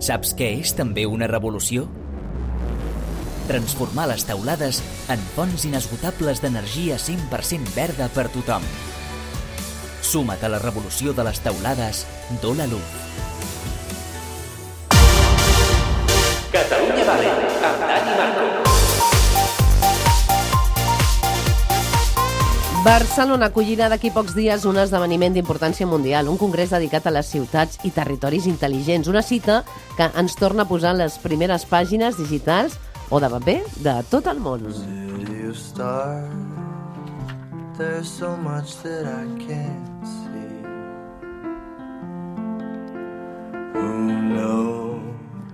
Saps què és també una revolució? Transformar les teulades en fonts inesgotables d'energia 100% verda per tothom. Suma't a la revolució de les teulades d'Ola Luz. Catalunya Barri, amb Dani Marco. Barcelona acollirà d'aquí pocs dies un esdeveniment d'importància mundial, un congrés dedicat a les ciutats i territoris intel·ligents, una cita que ens torna a posar les primeres pàgines digitals o de paper de tot el món.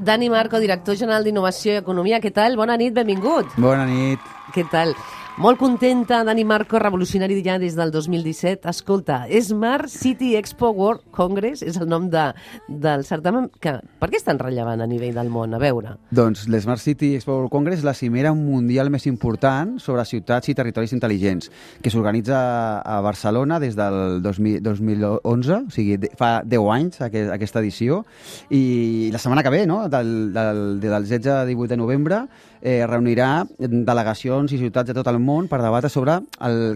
Dani Marco, director general d'Innovació i Economia, què tal? Bona nit, benvingut. Bona nit. Què tal? Molt contenta, Dani Marco, revolucionari ja des del 2017. Escolta, Smart City Expo World Congress és el nom del certamen. Per què és tan rellevant a nivell del món? A veure. Doncs l'Smart City Expo World Congress és la cimera mundial més important sobre ciutats i territoris intel·ligents, que s'organitza a Barcelona des del 2011, o sigui, fa 10 anys aquesta edició, i la setmana que ve, no? del 16 al 18 de novembre, reunirà delegacions i ciutats de tot el món per debatre sobre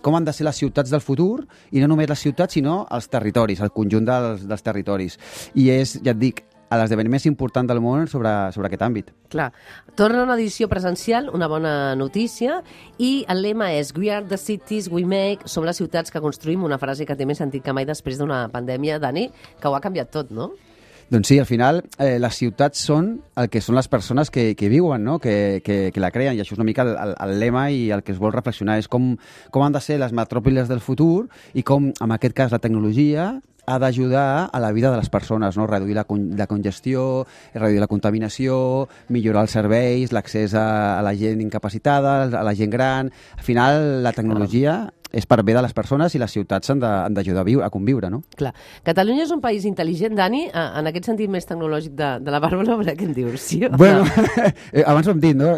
com han de ser les ciutats del futur, i no només les ciutats, sinó els territoris, el conjunt dels territoris. I és, ja et dic, l'esdeveniment més important del món sobre aquest àmbit. Clar. Torna una edició presencial, una bona notícia, i el lema és We are the cities we make, som les ciutats que construïm, una frase que té més sentit que mai després d'una pandèmia, Dani, que ho ha canviat tot, no? Doncs sí, al final les ciutats són el que són les persones que viuen, no? que la creen, i això és una mica el lema, i el que es vol reflexionar és com han de ser les metròpolis del futur i com, en aquest cas, la tecnologia ha d'ajudar a la vida de les persones, no? Reduir la congestió, reduir la contaminació, millorar els serveis, l'accés a la gent incapacitada, a la gent gran. Al final, la tecnologia és per bé de les persones, i les ciutats han d'ajudar a conviure, no? Clar. Catalunya és un país intel·ligent, Dani, en aquest sentit més tecnològic de la Bàrbara, què en dius? Sí, bueno, abans ho hem dit, no?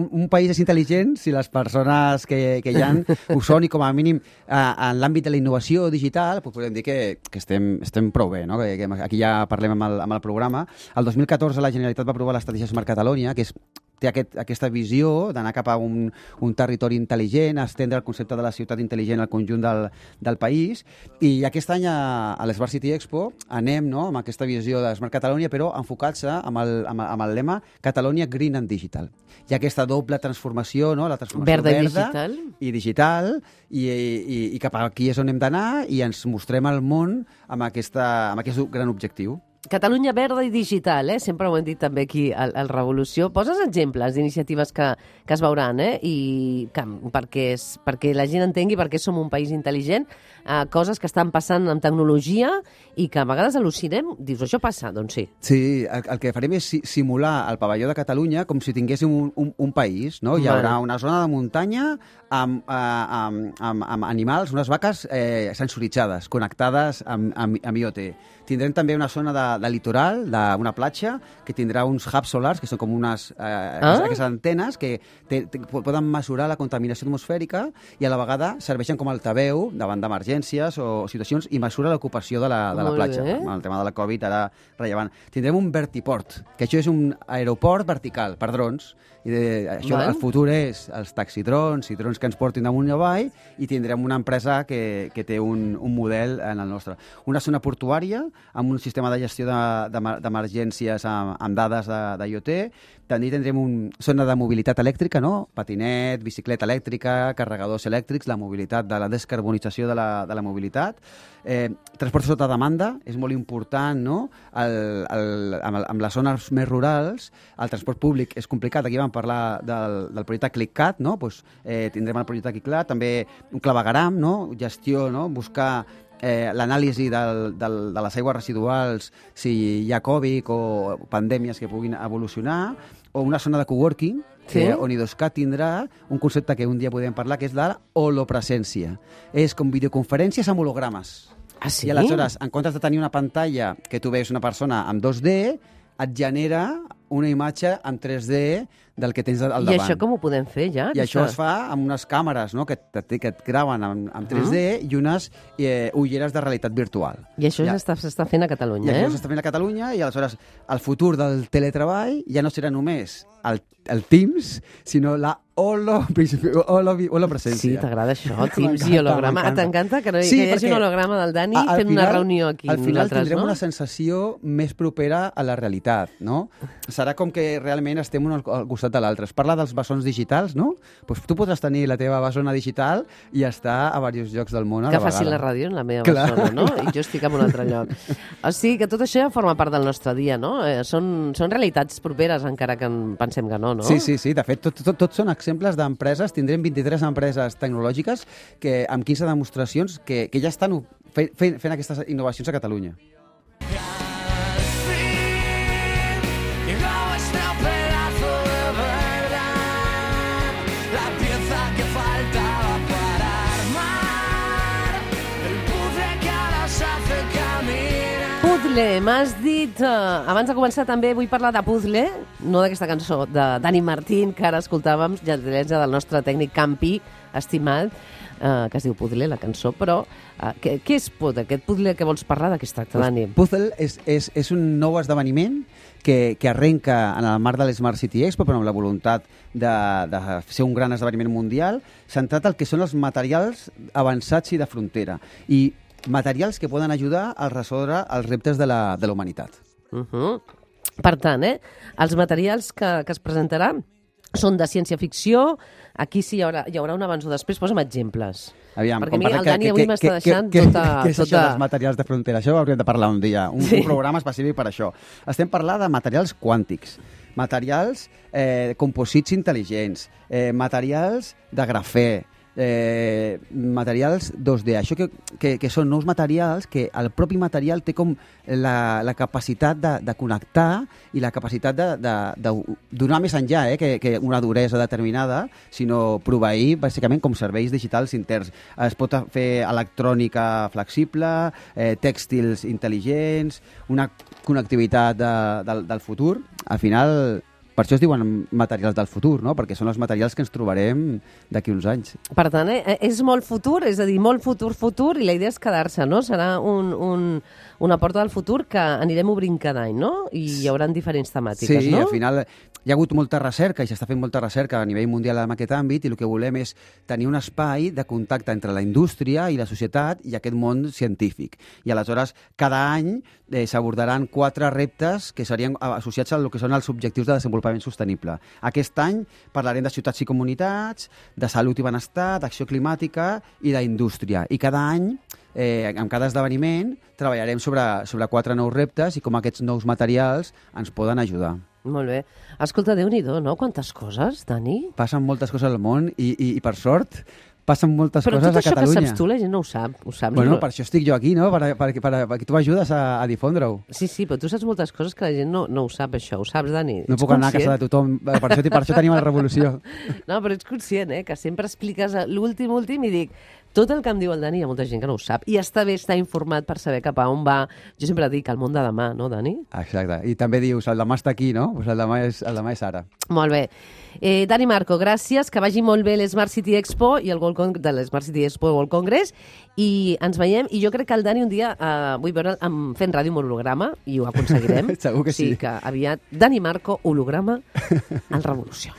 Un país és intel·ligent si les persones que hi ha ho són, i com a mínim en l'àmbit de la innovació digital podem dir que estem prou bé, no? Que aquí ja parlem amb el programa. El 2014 la Generalitat va aprovar l'estratègia Smart Catalonia, que té aquesta visió d'anar cap a un territori intel·ligent, estendre el concepte de la ciutat intel·ligent al conjunt del país, i aquest any a l'Smart City Expo anem, no?, amb aquesta visió de Smart Catalonia, però enfocant-se amb el lema Catalonia Green and Digital. Hi ha aquesta doble transformació, no?, la transformació verda i digital, i cap aquí és on hem d'anar, i ens mostrem al món amb aquest gran objectiu. Catalunya verda i digital, sempre ho hem dit també aquí al Revolució. Poses exemples d'iniciatives que es veuran, i perquè la gent entengui per què som un país intel·ligent, coses que estan passant amb tecnologia i que a vegades al·lucinem. Dius, això passa? Doncs sí. Sí, el que farem és simular el pavelló de Catalunya com si tinguéssim un país, no? Hi haurà una zona de muntanya amb animals, unes vaques sensoritzades, connectades amb IoT. Tindrem també una zona de litoral, d'una platja, que tindrà uns hubs solars, que són com aquestes antenes que poden mesurar la contaminació atmosfèrica, i a la vegada serveixen com a altaveu davant d'emergències o situacions, i mesura l'ocupació de la platja. Amb el tema de la Covid, ara rellevant. Tindrem un vertiport, que això és un aeroport vertical per drons, i el futur és els taxidrons i drons que ens portin damunt i avall, i tindrem una empresa que té un model en el nostre. Una zona portuària amb un sistema de gestió d'emergències amb dades d'IoT. També tindrem una zona de mobilitat elèctrica, no? Patinet, bicicleta elèctrica, carregadors elèctrics, la mobilitat de la descarbonització de la mobilitat. Transport sota demanda és molt important, no? Amb les zones més rurals, el transport públic és complicat. Aquí vam parlar del projecte ClickCat, no? Tindrem el projecte ClickCat, també un clavegaram, no? Gestió, no? Buscar l'anàlisi de les aigües residuals, si hi ha Covid o pandèmies que puguin evolucionar, o una zona de coworking, on IDOSCAT tindrà un concepte que un dia podem parlar, que és la holopresència. És com videoconferències amb hologrames. Ah, sí? I aleshores, en comptes de tenir una pantalla que tu veus una persona amb 2D, et genera una imatge en 3D del que tens al davant. I això com ho podem fer, ja? I això es fa amb unes càmeres, no?, que et graven en 3D i unes ulleres de realitat virtual. I això ja s'està fent a Catalunya, I això s'està fent a Catalunya, i aleshores el futur del teletreball ja no serà només el Teams, sinó la holopresència. Sí, t'agrada això, Teams i holograma. T'encanta que hi hagi un holograma del Dani fent una reunió aquí. Al final tindrem una sensació més propera a la realitat, no? Serà com que realment estem un al costat de l'altre. Es parla dels bessons digitals, no? Pues tu podràs tenir la teva bessona digital i estar a diversos llocs del món a la vegada. Que faci la ràdio en la meva bessona, no? I jo estic en un altre lloc. O sigui que tot això ja forma part del nostre dia, no? Són realitats properes, encara que pensem que no, no? Sí. De fet, tot són exemples d'empreses. Tindrem 23 empreses tecnològiques amb 15 demostracions que ja estan fent aquestes innovacions a Catalunya. Puzzle, m'has dit... abans de començar també vull parlar de Puzzle, no d'aquesta cançó de Dani Martín, que ara escoltàvem, gentilesa del nostre tècnic Campi, estimat, que es diu Puzzle, la cançó, però què és aquest Puzzle que vols parlar? De què es tracta, Dani? Puzzle és un nou esdeveniment que arrenca en el marc de l'Smart City Expo, però amb la voluntat de ser un gran esdeveniment mundial, centrat al que són els materials avançats i de frontera. I materials que poden ajudar a resoldre els reptes de la humanitat. Per tant, els materials que es presentaran són de ciència-ficció. Aquí sí hi haurà un abans o després. Posa'm exemples. Aviam, perquè a mi el Dani avui m'està deixant tota... Què és això dels materials de frontera? Això ho hauríem de parlar un dia, un programa específic per això. Estem parlant de materials quàntics, materials composits intel·ligents, materials de grafè, materials 2D. Això que són nous materials que el propi material té com la capacitat de connectar i la capacitat de donar més enllà que una duresa determinada, sinó proveir bàsicament com serveis digitals interns. Es pot fer electrònica flexible, tèxtils intel·ligents, una connectivitat del futur. Al final, per això es diuen materials del futur, no? Perquè són els materials que ens trobarem d'aquí uns anys. Per tant, és molt futur, és a dir, molt futur, i la idea és quedar-se, no? Serà una porta del futur que anirem obrint cada any, no? I hi haurà diferents temàtiques, sí, no? Sí, al final hi ha hagut molta recerca i s'està fent molta recerca a nivell mundial en aquest àmbit, i el que volem és tenir un espai de contacte entre la indústria i la societat i aquest món científic. I aleshores, cada any s'abordaran 4 reptes que serien associats al que són els objectius de desenvolupament sostenible. Aquest any parlarem de ciutats i comunitats, de salut i benestar, d'acció climàtica i d'indústria. I cada any, en cada esdeveniment, treballarem sobre 4 nous reptes i com aquests nous materials ens poden ajudar. Molt bé. Escolta, Déu-n'hi-do, no? Quantes coses, Dani? Passen moltes coses al món i per sort, passen moltes coses a Catalunya. Però tot això que saps tu, la gent no ho sap. Bueno, per això estic jo aquí, no? Perquè tu m'ajudes a difondre-ho. Sí, però tu saps moltes coses que la gent no ho sap, això. Ho saps, Dani? No puc anar a casa de tothom. Per això tenim la revolució. No, però ets conscient, que sempre expliques l'últim i dic, tot el que em diu el Dani hi ha molta gent que no ho sap. I està bé estar informat per saber cap a on va. Jo sempre dic el món de demà, no, Dani? Exacte. I també dius, el demà està aquí, no? Pues el demà és ara. Molt bé. Dani Marco, gràcies, que vagi molt bé l'Smart City Expo i el de l'Smart City Expo World Congress, i ens veiem, i jo crec que el Dani un dia vull veure'l fent ràdio amb holograma, i ho aconseguirem. Segur que sí. O sigui que aviat, Dani Marco, holograma, en Revolució.